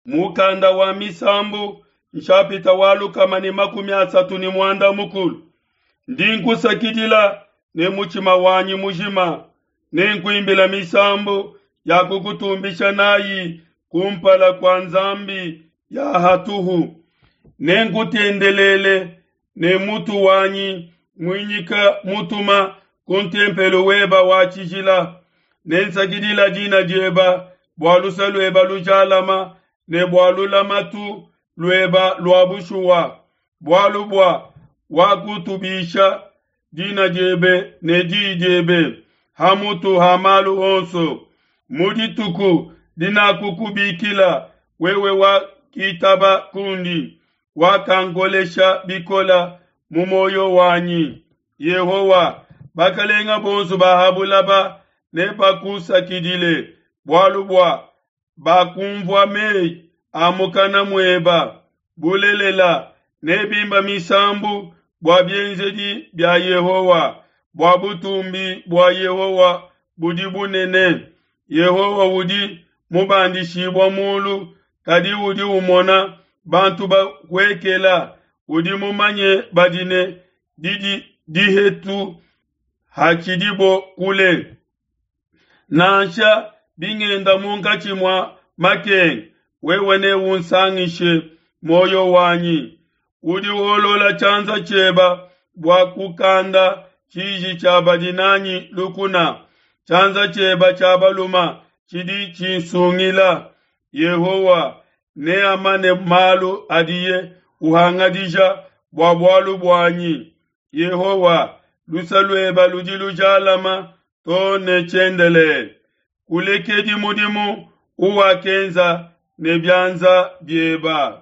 Mukanda wa Misambu, nshapita wa 136. Ndi nkusakidila ne mutshima wanyi mujima, nenkuimbila misambu ya kukutumbisha nayi kumpala kua nzambi ya hatuhu. Nenkutendelele ne mutu wanyi muinyika mutuma ku ntempelo weba wa tshijila. Nensakidila dina dieba bua luse lueba lujalama ne bua lulamatu lueba lua bushuwa, bualu bua wakutubisha dina diebe ne diyi diebe ha mutu ha malu onso. Mu dituku dinakukubikila, wewe wakitaba kundi, wakankolesha bikola mu moyo wanyi. Yehowa, bakalenga bonso ba ha bulaba nebakusakidile, bualu bua bakumvua meyi a mukana mueba. Bulelela, nebimba misambu bua bienzedi bia Yehowa, bua butumbi bua Yehowa budi bunene. Yehowa udi mubandishibua mulu, kadi udi umona bantu bahuekela, udi mumanye badi ne didi dihetu hatshidibo kule. Nansha bingenda munkatshi mua makenga, wewe neunsangishe muoyo wanyi. Udi wolola tshianza tshieba bua kukanda tshiji tshia badi nanyi lukuna. Tshianza tshieba tshia baluma tshidi tshinsungila. Yehowa neamane malu adiye uhangadija bua bualu buanyi. Yehowa, luse lueba ludi lujalama too ne tshiendelele. Kulekedi mudimu uwakenza ne bianza bieba.